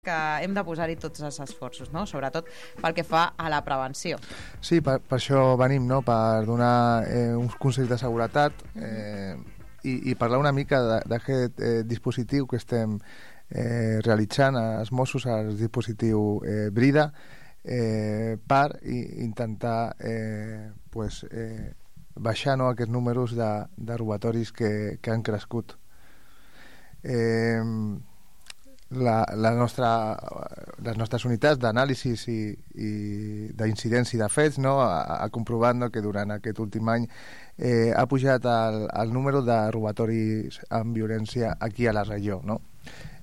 que hem de posar-hi tots els esforços, no? Sobretot pel que fa a la prevenció. Sí, per això venim, no? Per donar uns consells de seguretat i parlar una mica d'aquest dispositiu que estem realitzant els Mossos, el dispositiu Brida, per intentar baixar aquests números de robatoris que han crescut. Les nostres unitats d'anàlisi i d'incidència de fets ha comprovat que durant aquest últim any ha pujat el número de robatoris amb violència aquí a la regió, no?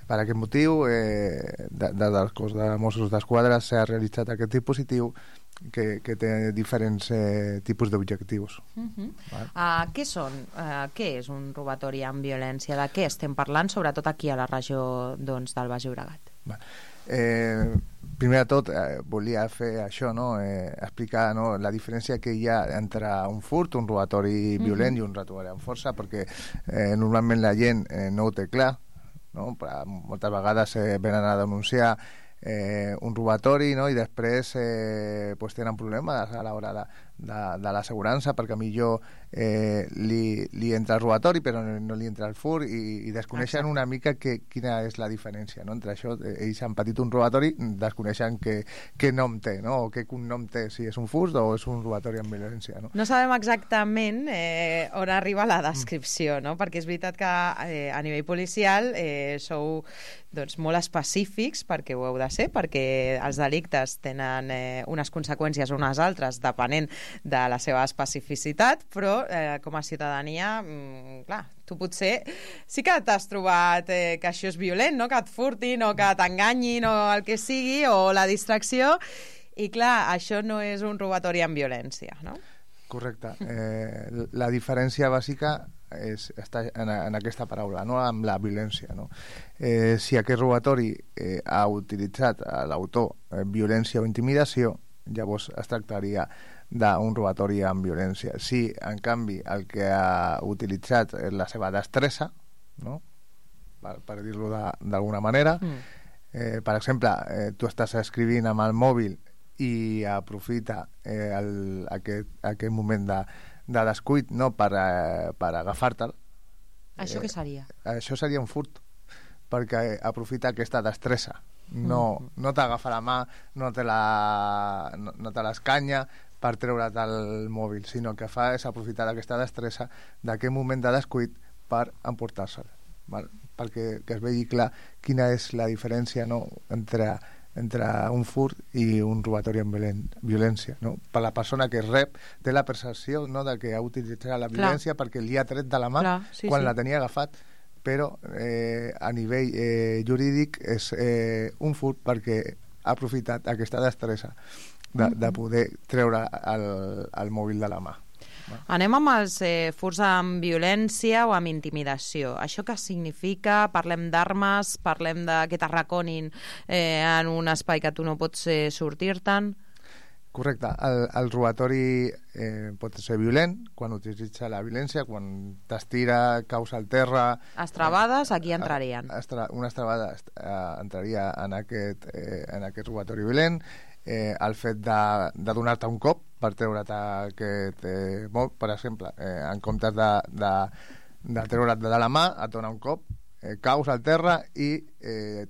Per aquest motiu, del cos de Mossos d'Esquadra s'ha realitzat aquest dispositiu que té diferents tipus d'objectius. Què són? Què és un robatori amb violència? De què estem parlant, sobretot aquí a la regió del Baix Llobregat? Primer de tot, volia fer això, explicar la diferència que hi ha entre un furt, un robatori violent i un robatori amb força, perquè normalment la gent no ho té clar. Moltes vegades venen a denunciar un robatori i després tenen problemes a l'hora de l'assegurança, perquè millor li entra el robatori però no li entra el furt i desconeixen una mica quina és la diferència entre això. Ells han patit un robatori, desconeixen què nom té, o què cognom té, si és un furt o és un robatori amb violència. No sabem exactament on arriba la descripció, perquè és veritat que a nivell policial sou molt específics, perquè ho heu de ser, perquè els delictes tenen unes conseqüències o unes altres depenent de la seva especificitat, però com a ciutadania, clar, tu potser sí que t'has trobat que això és violent, que et furtin o que t'enganyin o el que sigui, o la distracció, i clar, això no és un robatori amb violència, no? Correcte. La diferència bàsica està en aquesta paraula, amb la violència. Si aquest robatori ha utilitzat l'autor violència o intimidació, llavors es tractaria d'un robatori amb violència. Si, en canvi, el que ha utilitzat és la seva destressa, per dir-ho d'alguna manera, per exemple, tu estàs escrivint amb el mòbil i aprofita aquest moment de descuit per agafar-te'l. Això què seria? Això seria un furt, perquè aprofita aquesta destressa. No t'agafa la mà, no te l'escanya per treure't el mòbil, sinó que fa és aprofitar aquesta destressa d'aquest moment de descuit per emportar-se'l, perquè es vegi clar quina és la diferència entre un furt i un robatori amb violència. Per la persona que rep té la percepció de que ha utilitzat la violència perquè li ha tret de la mà quan la tenia agafat, però a nivell jurídic és un furt perquè ha aprofitat aquesta destressa de poder treure el mòbil de la mà. Anem amb els furts amb violència o amb intimidació. Això què significa? Parlem d'armes, parlem que t'arraconin en un espai que tu no pots sortir-te'n? Correcte. El robatori pot ser violent quan utilitza la violència, quan t'estira, caus al terra... Estrabades, aquí entrarien. Una estrabada entraria en aquest robatori violent. El fet de donar-te un cop per treure't aquest mòbil, per exemple, en comptes de treure't de la mà, et dona un cop, caus al terra i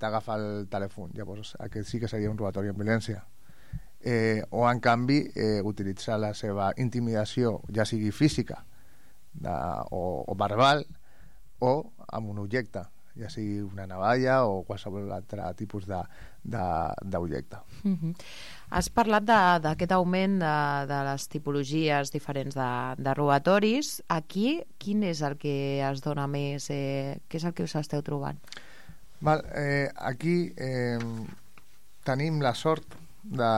t'agafa el telèfon. Llavors, aquest sí que seria un robatori amb violència. O, en canvi, utilitzar la seva intimidació, ja sigui física o verbal, o amb un objecte, ja sigui una navalla o qualsevol altre tipus d'objecte. Has parlat d'aquest augment de les tipologies diferents de robatoris. Aquí, quin és el que es dona més? Què és el que us esteu trobant? Aquí tenim la sort de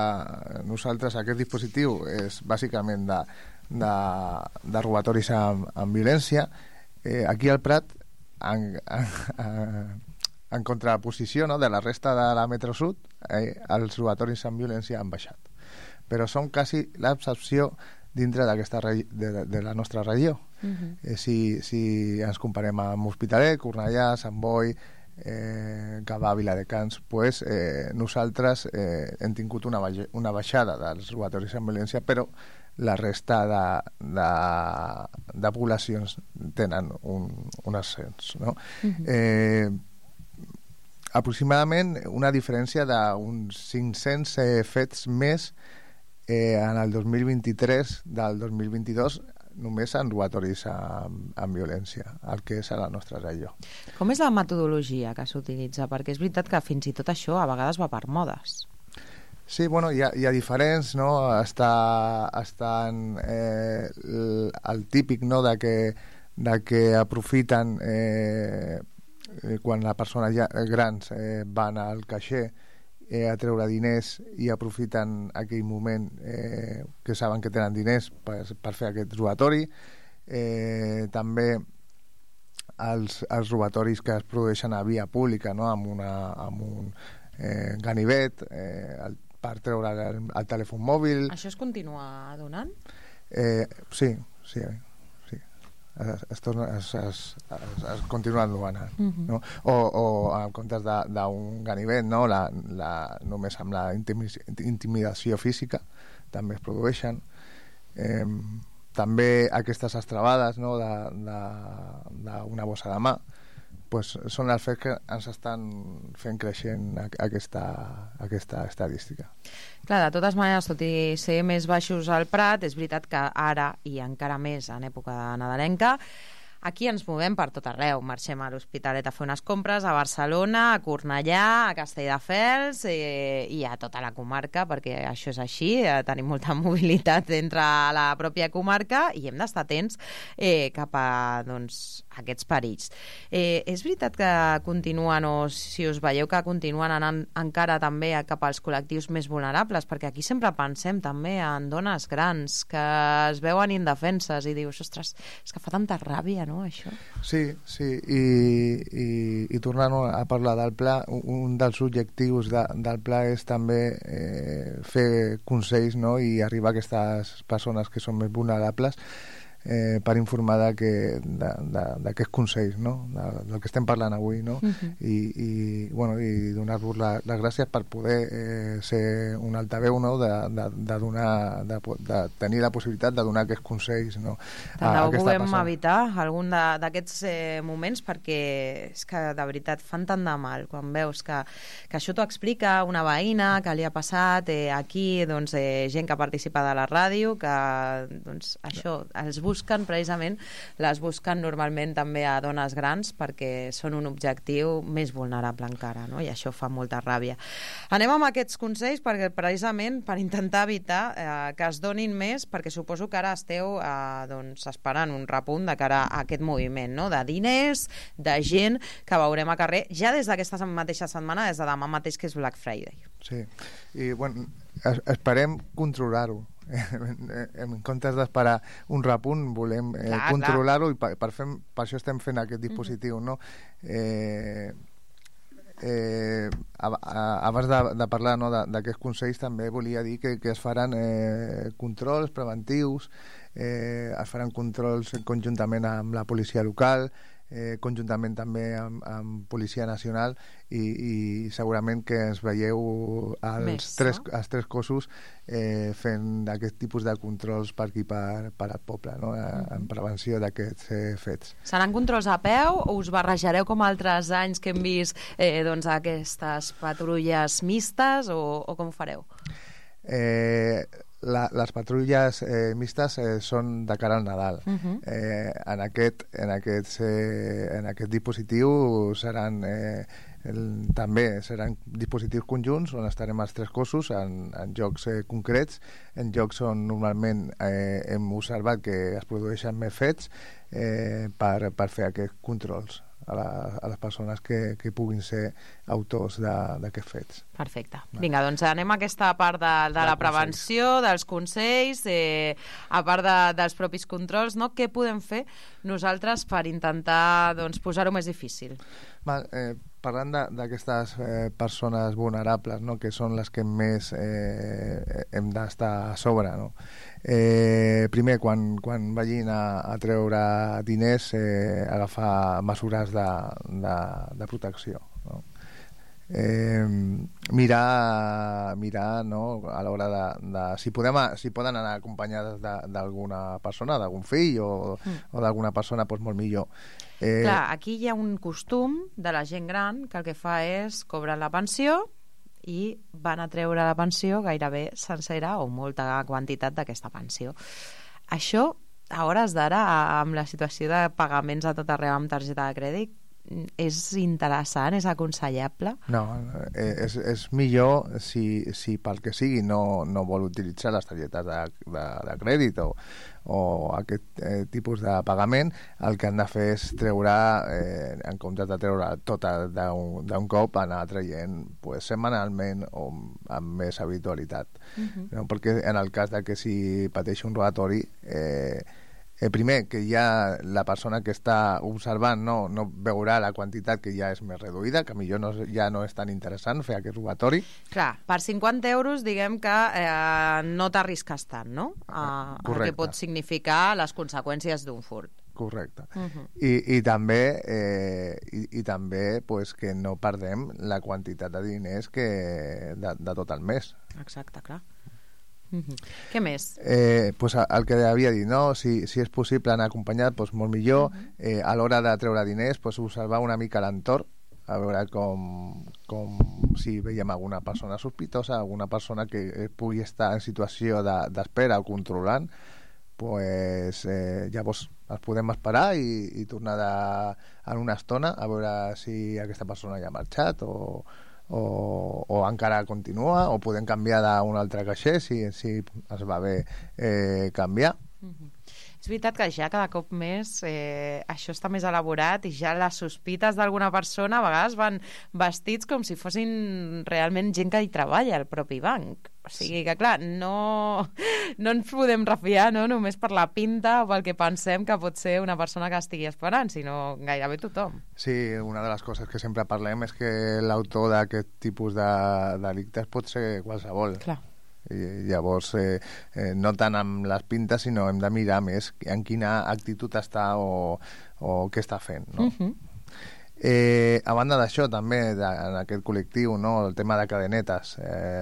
nosaltres. Aquest dispositiu és bàsicament de robatoris amb violència. Aquí al Prat, en contraposició de la resta de la Metro Sud, els robatoris amb violència han baixat, però són quasi l'excepció dintre de la nostra regió. Si ens comparem amb Hospitalet, Cornellà, Sant Boi, Gavà, Viladecans, pues, nosaltres hem tingut una baixada dels robatoris amb violència, però la resta de poblacions tenen un ascens, no? Aproximadament una diferència d'uns 500 fets més en el 2023 del 2022 només en robatoris amb violència, el que és a la nostra regió. Com és la metodologia que s'utilitza? Perquè és veritat que fins i tot això a vegades va per modes. Sí, bueno, hi ha diferents, no? Estan el típic, no?, de que aprofiten quan la persona grans van al caixer a treure diners i aprofiten aquell moment que saben que tenen diners per fer aquest robatori. També els robatoris que es produeixen a via pública, no?, amb un ganivet per treure el telèfon mòbil. Això es continua donant? Sí. Es continuen donant, no? O en comptes d'un ganivet, no? Només amb la intimidació física també es produeixen. També aquestes estrabades, no?, d'una bossa de mà, pues són els fets que ens estan fent creixent aquesta estadística. Clar, de totes maneres, tot i ser més baixos al Prat, és veritat que ara, i encara més en època nadalenca, aquí ens movem per tot arreu. Marxem a l'Hospitalet a fer unes compres, a Barcelona, a Cornellà, a Castelldefels i a tota la comarca, perquè això és així, tenim molta mobilitat entre la pròpia comarca i hem d'estar atents cap a aquests perills. És veritat que continuen, o si us veieu que continuen anant encara també cap als col·lectius més vulnerables, perquè aquí sempre pensem també en dones grans que es veuen indefenses i dius, ostres, és que fa tanta ràbia, no, això? Sí, i tornant a parlar del pla, un dels objectius del pla és també fer consells, no?, i arribar a aquestes persones que són més vulnerables per informar d'aquests consells, no?, del que estem parlant avui, no? I donar-vos les gràcies per poder ser un altaveu, no?, de tenir la possibilitat de donar aquests consells, no? Tant de bo puguem evitar algun d'aquests moments, perquè és que de veritat fan tant de mal quan veus que això t'ho explica una veïna que li ha passat aquí, gent que participa de la ràdio, que això els busquen precisament, les busquen normalment també a dones grans perquè són un objectiu més vulnerable encara, no? I això fa molta ràbia. Anem amb aquests consells perquè precisament per intentar evitar que es donin més, perquè suposo que ara esteu esperant un repunt de cara a aquest moviment, no?, de diners, de gent que veurem a carrer ja des d'aquesta mateixa setmana, des de demà mateix, que és Black Friday. Sí, i bueno, esperem controlar-ho. En comptes d'esperar un repunt, volem controlar-ho, i per això estem fent aquest dispositiu, no? Abans de parlar, no, d'aquests consells, també volia dir que es faran controls preventius, es faran controls conjuntament amb la policia local, conjuntament també amb Policia Nacional, i segurament que ens veieu els tres cossos fent aquest tipus de controls per aquí, per al poble, no?, en prevenció d'aquests fets. Seran controls a peu o us barrejareu com altres anys que hem vist aquestes patrulles mistes, o com ho fareu? Les patrulles mistes són de cara al Nadal. En aquest dispositiu també seran dispositius conjunts on estarem els tres cossos en llocs concrets, en llocs on normalment hem observat que es produeixen més fets, per fer aquests controls a les persones que puguin ser autors d'aquests fets. Perfecte. Vinga, doncs anem a aquesta part de la prevenció, dels consells, a part dels propis controls, no? Què podem fer nosaltres per intentar posar-ho més difícil? parlant d'aquestes persones vulnerables, no? Que són les que més hem d'estar a sobre, no? Primer, quan vagin a treure diners, agafar mesures de protecció, no? Mirar, no? A l'hora de si poden anar acompanyades d'alguna persona, d'algun fill o d'alguna persona, doncs molt millor. Clar, aquí hi ha un costum de la gent gran que el que fa és cobrar la pensió i van a treure la pensió gairebé sencera o molta quantitat d'aquesta pensió. Això, a hores d'ara, amb la situació de pagaments a tot arreu amb targeta de crèdit, és interessant, és aconsellable? No, és millor si pel que sigui no vol utilitzar les targetes de crèdit o aquest tipus de pagament. El que han de fer és treure, en comptes de treure tota d'un cop, anar traient setmanalment o amb més habitualitat. No? Perquè en el cas de que si pateix un robatori, primer, que ja la persona que està observant no veurà la quantitat, que ja és més reduïda, que millor ja no és tan interessant fer aquest robatori. Clar, per 50 euros diguem que no t'arrisques tant, no? El que pot significar les conseqüències d'un furt. Correcte. I també pues, que no perdem la quantitat de diners de tot el mes. Exacte, clar. Què més? Pues el que havia dit, no? Si és possible anar acompanyat, pues molt millor. A l'hora de treure diners, pues observar una mica l'entorn, a veure com si veiem alguna persona sospitosa, alguna persona que pugui estar en situació d'espera o controlant, pues llavors els podem esperar i tornar en una estona a veure si aquesta persona ja ha marxat o encara continua, o podem canviar d'un altre caixer si es va bé canviar. És veritat que ja cada cop més això està més elaborat i ja les sospites d'alguna persona a vegades van vestits com si fossin realment gent que hi treballa al propi banc. O sigui que, clar, no ens podem refiar, no?, només per la pinta o pel que pensem que pot ser una persona que estigui esperant, sinó gairebé tothom. Sí, una de les coses que sempre parlem és que l'autor d'aquest tipus de delictes pot ser qualsevol. Clar. I llavors no tant amb les pintes, sinó hem de mirar més en quina actitud està o què està fent, no? A banda d'això, també, en aquest col·lectiu, no, el tema de cadenetes,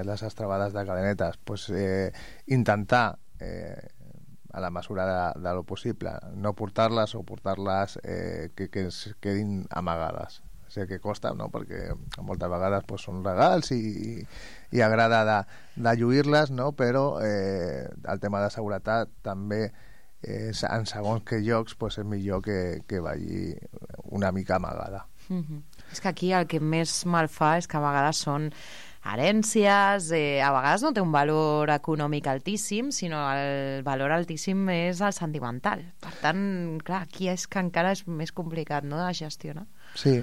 les estrabades de cadenetes, pues, intentar, a la mesura de lo possible, no portar-les o portar-les que es quedin amagades. Sé que costa, no?, perquè moltes vegades pues, són regals i agrada de lluir-les, no?, però el tema de seguretat també en segons que llocs pues, és millor que vagi una mica amagada. És que aquí el que més mal fa és que a vegades són herències, a vegades no té un valor econòmic altíssim, sinó el valor altíssim és el sentimental. Per tant, clar, aquí és que encara és més complicat, no?, de gestionar. Sí,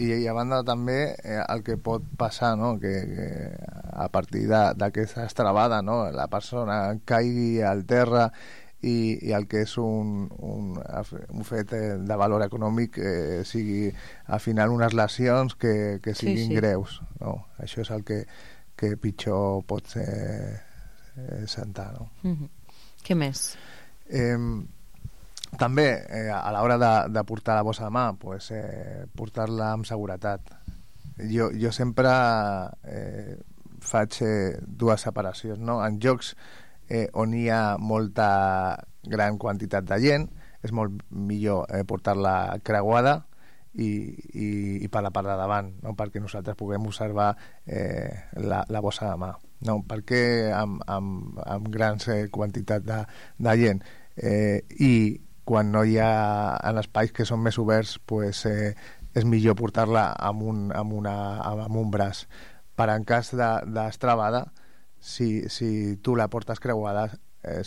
i a banda també el que pot passar, no?, que a partir d'aquesta estrabada, no?, la persona caigui al terra i el que és un fet de valor econòmic sigui al final unes lesions que siguin greus, no? Això és el que pitjor pot sentar, no? Què més? També a l'hora de portar la bossa de mà, pues, portar-la amb seguretat. Jo sempre faig dues separacions, no? En jocs on hi ha molta gran quantitat de gent és molt millor portar-la creuada i per la part de davant, no?, perquè nosaltres puguem observar la bossa de mà, no? Perquè amb grans quantitat de gent i quan no hi ha en espais que són més oberts, pues, és millor portar-la amb un braç. Per en cas d'estrabada, si tu la portes creuada,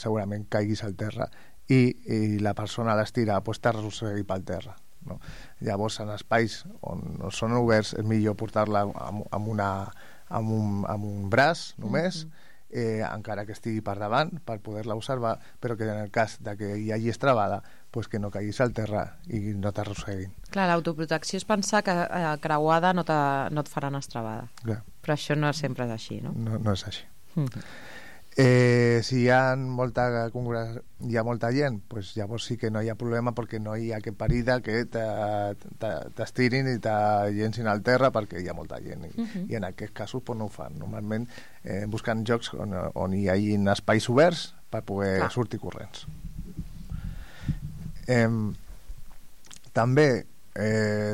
segurament caiguis al terra i la persona a l'estira pues, t'arrossegui pel terra, no? Llavors, en espais on són oberts és millor portar-la amb un braç només, encara que estigui per davant per poder-la observar, però que en el cas de que hi hagi estrabada pues que no caiguis al terra i no t'arrosseguin. Clar, l'autoprotecció és pensar que creuada no et faran estrabada. Clar. Però això no sempre és així, no? No és així. Si hi ha molta gent, pues llavors sí que no hi ha problema perquè no hi ha que parida que t'estirin i t'agencin al terra perquè hi ha molta gent i en aquests casos pues, no ho fan. Normalment busquen jocs on hi hagi espais oberts per poder sortir corrents. També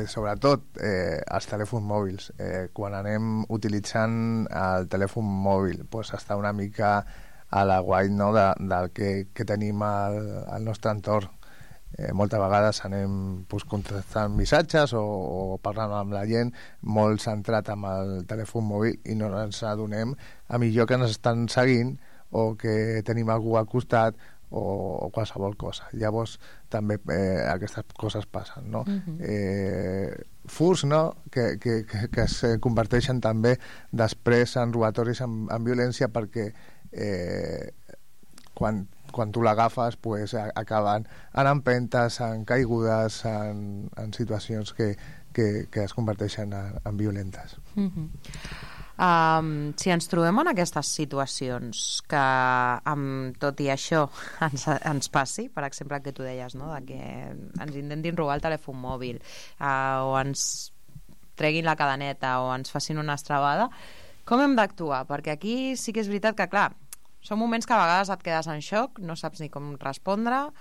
sobretot els telèfons mòbils, quan anem utilitzant el telèfon mòbil pues, està una mica a la guai, no, del que tenim al nostre entorn. Moltes vegades anem pues, contestant missatges o parlant amb la gent molt centrat amb el telèfon mòbil i no ens adonem a millor que ens estan seguint o que tenim algú al costat o qualsevol cosa. Llavors també aquestes coses passen, no? Furs, no? Que es converteixen també després en robatoris amb violència perquè quan tu l'agafes pues, acaben en empentes, en caigudes, en situacions que es converteixen en violentes. Si ens trobem en aquestes situacions que amb tot i això ens passi, per exemple el que tu deies, no? De que ens intentin robar el telèfon mòbil o ens treguin la cadeneta o ens facin una estrabada, com hem d'actuar? Perquè aquí sí que és veritat que, clar, són moments que a vegades et quedes en xoc, no saps ni com respondre.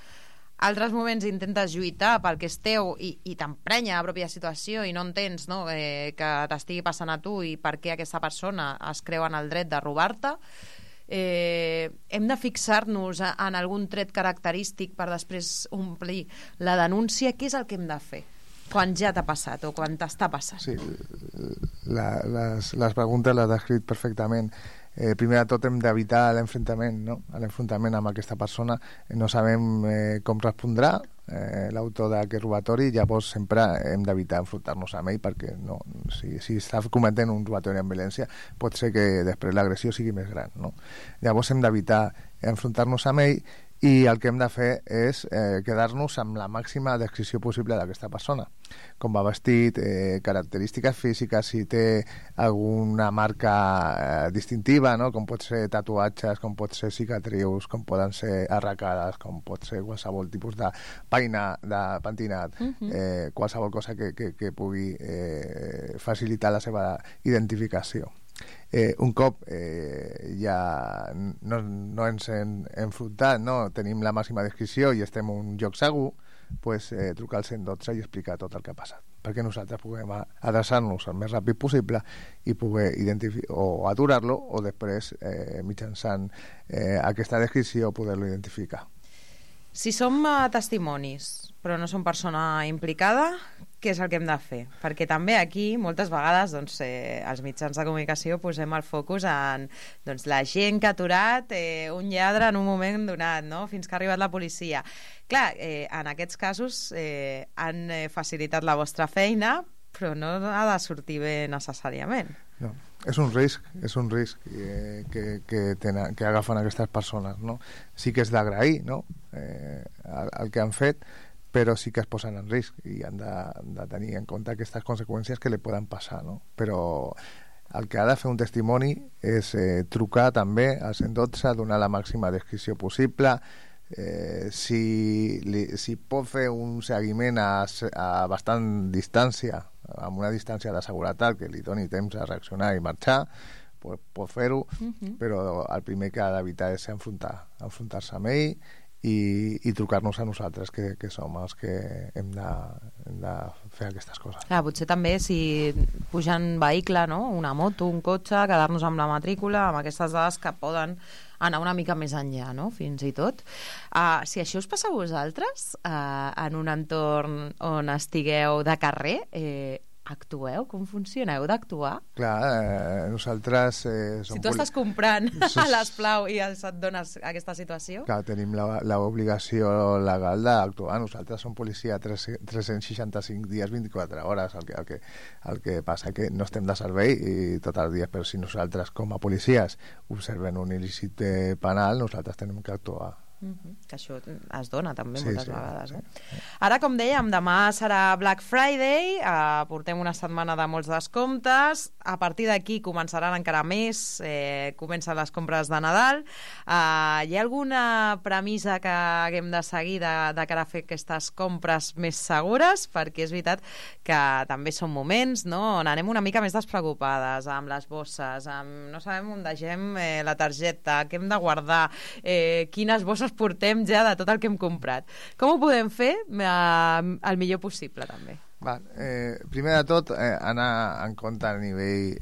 Altres moments intentes lluitar pel que és teu i t'emprenya la pròpia situació i no entens, no, que t'estigui passant a tu i per què aquesta persona es creu en el dret de robar-te. Hem de fixar-nos en algun tret característic per després omplir la denúncia. Què és el que hem de fer quan ja t'ha passat o quan t'està passant? Sí, les preguntes les has descrit perfectament. Primer de tot hem d'evitar l'enfrontament, no? L'enfrontament amb aquesta persona. No sabem com respondrà l'autor d'aquest robatori, llavors sempre hem d'evitar enfrontar-nos amb ell perquè no, si està cometent un robatori amb violència pot ser que després l'agressió sigui més gran, no? Llavors hem d'evitar enfrontar-nos amb ell i el que hem de fer és quedar-nos amb la màxima descripció possible d'aquesta persona, com va vestit, característiques físiques, si té alguna marca distintiva, no? Com pot ser tatuatges, com pot ser cicatrius, com poden ser arracades, com pot ser qualsevol tipus de pentinat, qualsevol cosa que pugui facilitar la seva identificació. Un cop ja no ens hem enfrontat, no? Tenim la màxima descripció i estem en un lloc segur, pues, trucar al 112 i explicar tot el que ha passat perquè nosaltres puguem adreçar-nos el més ràpid possible i poder o aturar-lo o després mitjançant aquesta descripció poder-lo identificar. Si som testimonis però no som persona implicada, què és el que hem de fer? Perquè també aquí, moltes vegades, doncs, els mitjans de comunicació posem el focus en la gent que ha aturat un lladre en un moment donat, no? Fins que ha arribat la policia. Clar, en aquests casos han facilitat la vostra feina, però no ha de sortir bé necessàriament. No. És un risc que agafen aquestes persones, no? Sí que és d'agrair, no? El que han fet, però sí que es posen en risc i han de tenir en compte aquestes conseqüències que li poden passar, no? Però el que ha de fer un testimoni és trucar també al 112, donar la màxima descripció possible, si pot fer un seguiment a bastant distància, amb una distància de seguretat que li doni temps a reaccionar i marxar, pot fer-ho, però el primer que ha d'evitar és enfrontar-se amb ell i trucar-nos a nosaltres, que som els que hem de fer aquestes coses. Clar, potser també si pujar en vehicle, no? Una moto, un cotxe, quedar-nos amb la matrícula, amb aquestes dades que poden anar una mica més enllà, no? Fins i tot. Si això us passa a vosaltres, en un entorn on estigueu de carrer, actueu? Com funciona? Heu d'actuar? Clar, nosaltres... si tu estàs comprant a l'Esplau i et dones aquesta situació... Clar, tenim l'obligació legal d'actuar. Nosaltres som policia 365 dies, 24 hores. El que passa que no estem de servei i tot el dia, però si nosaltres com a policies observem un il·lícit penal, nosaltres tenim que actuar Que això es dona també moltes vegades. Sí. Ara, com dèiem, demà serà Black Friday, portem una setmana de molts descomptes, a partir d'aquí començaran encara més, comencen les compres de Nadal. Hi ha alguna premissa que haguem de seguir de cara a fer aquestes compres més segures? Perquè és veritat que també són moments, no?, on anem una mica més despreocupades amb les bosses, no sabem on deixem la targeta, què hem de guardar, quines bosses portem ja de tot el que hem comprat. Com ho podem fer el millor possible, també? Primer de tot, anar en compte a nivell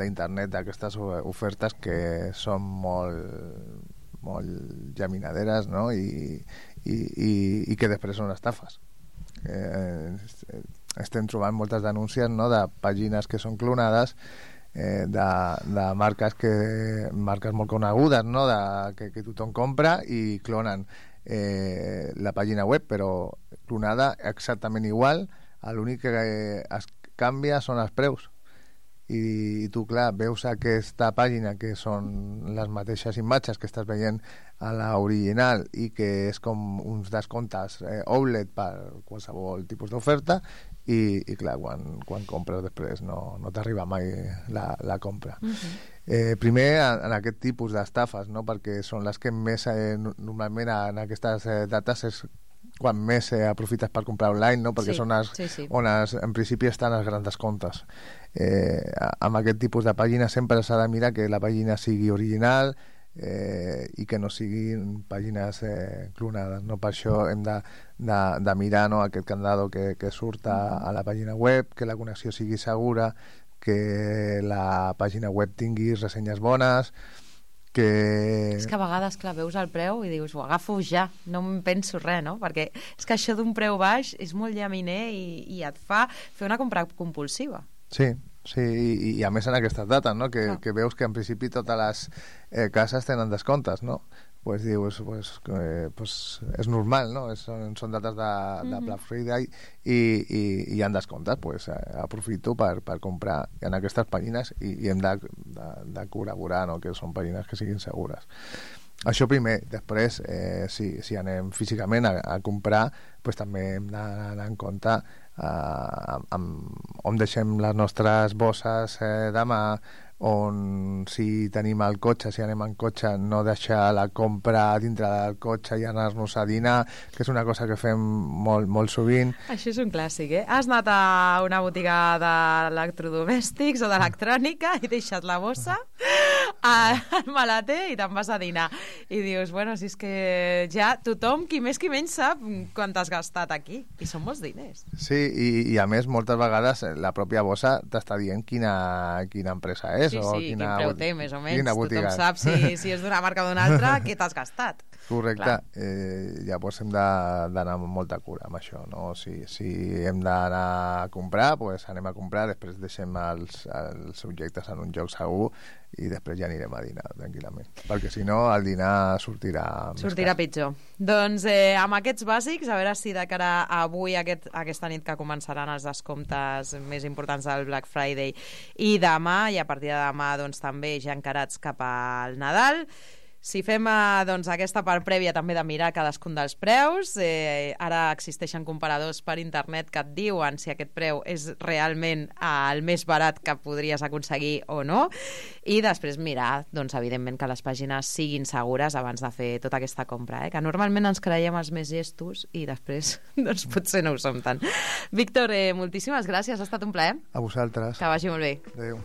d'internet d'aquestes ofertes que són molt llaminaderes, no?, i que després són estafes. Estem trobant moltes denúncies, no?, de pàgines que són clonades, de marques molt conegudes, no?, que tothom compra i clonen la pàgina web, però clonada exactament igual. L'únic que es canvia són els preus, i tu, clar, veus aquesta pàgina que són les mateixes imatges que estàs veient a l'original i que és com uns descomptes outlet per qualsevol tipus d'oferta, i clar, quan compres després no t'arriba mai la compra. Primer, en aquest tipus d'estafes, no?, perquè són les que més normalment en aquestes dates és quan més aprofites per comprar online, no?, perquè són on en principi estan els grans descomptes. Amb aquest tipus de pàgina sempre s'ha de mirar que la pàgina sigui original i que no siguin pàgines clonades, no? Per això hem de mirar, no?, aquest candado que surt a la pàgina web, que la connexió sigui segura, que la pàgina web tingui ressenyes bones, que... És que a vegades, clar, veus el preu i dius, ho agafo ja, no em penso res, no? Perquè és que això d'un preu baix és molt llaminer i et fa fer una compra compulsiva. Sí, i a més en aquestes dates, no?, que veus que en principi totes les cases tenen descomptes, no? Pues dius, és normal, no? Són dates de Black Friday i hi ha descomptes, pues aprofito per comprar en aquestes pàgines i hem de col·laborar, no?, que són pàgines que siguin segures. Això primer. Després, si anem físicament a comprar, pues també hem d'anar en compte on deixem les nostres bosses de mà, on si tenim el cotxe, si anem en cotxe, no deixar la compra dintre del cotxe i anar-nos a dinar, que és una cosa que fem molt sovint. Això és un clàssic, eh? Has anat a una botiga d'electrodomèstics o d'electrònica i deixat la bossa al maleter i te'n vas a dinar. I dius, bueno, si és que ja tothom, qui més qui menys, sap quant has gastat aquí. I són molts diners. Sí, i a més, moltes vegades la pròpia bossa t'està dient quina empresa és. Sí, quin preu té, més o menys. Tothom sap si és d'una marca o d'una altra, què t'has gastat. Correcte. Llavors hem d'anar amb molta cura amb això, no? Si hem d'anar a comprar, doncs anem a comprar, després deixem els objectes en un lloc segur i després ja anirem a dinar tranquil·lament, perquè si no el dinar sortirà pitjor. Doncs amb aquests bàsics, a veure si de cara a avui, aquesta nit que començaran els descomptes més importants del Black Friday i demà, i a partir de demà doncs, també ja encarats cap al Nadal, si fem doncs, aquesta part prèvia també de mirar cadascun dels preus, ara existeixen comparadors per internet que et diuen si aquest preu és realment el més barat que podries aconseguir o no, i després mirar, doncs, evidentment, que les pàgines siguin segures abans de fer tota aquesta compra, que normalment ens creiem els més gestos i després doncs, potser no ho som tant. Víctor, moltíssimes gràcies, ha estat un plaer. A vosaltres. Que vagi molt bé. Adéu.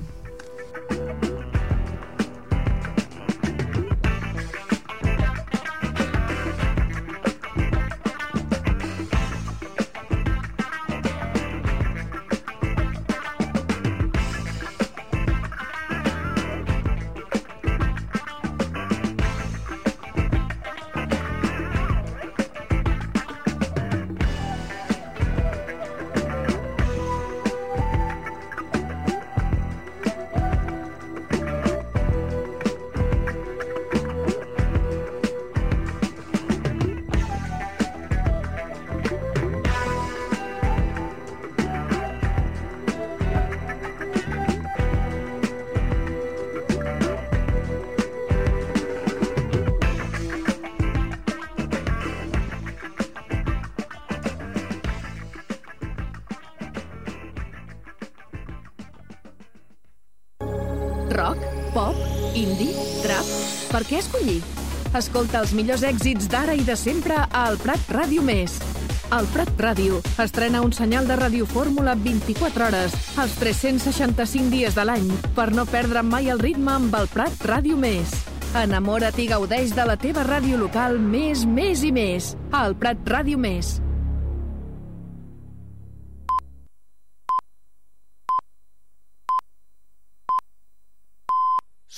Indie? Trap? Per què escollir? Escolta els millors èxits d'ara i de sempre al Prat Ràdio Més. El Prat Ràdio estrena un senyal de radiofórmula 24 hores, els 365 dies de l'any, per no perdre mai el ritme amb el Prat Ràdio Més. Enamora't i gaudeix de la teva ràdio local més i més. El Prat Ràdio Més.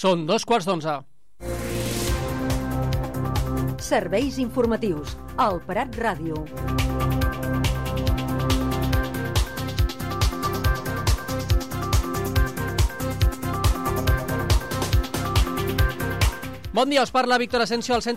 Són 11:15. Serveis informatius. Al Prat Ràdio. Bon dia, us parla Víctor Asensio al centre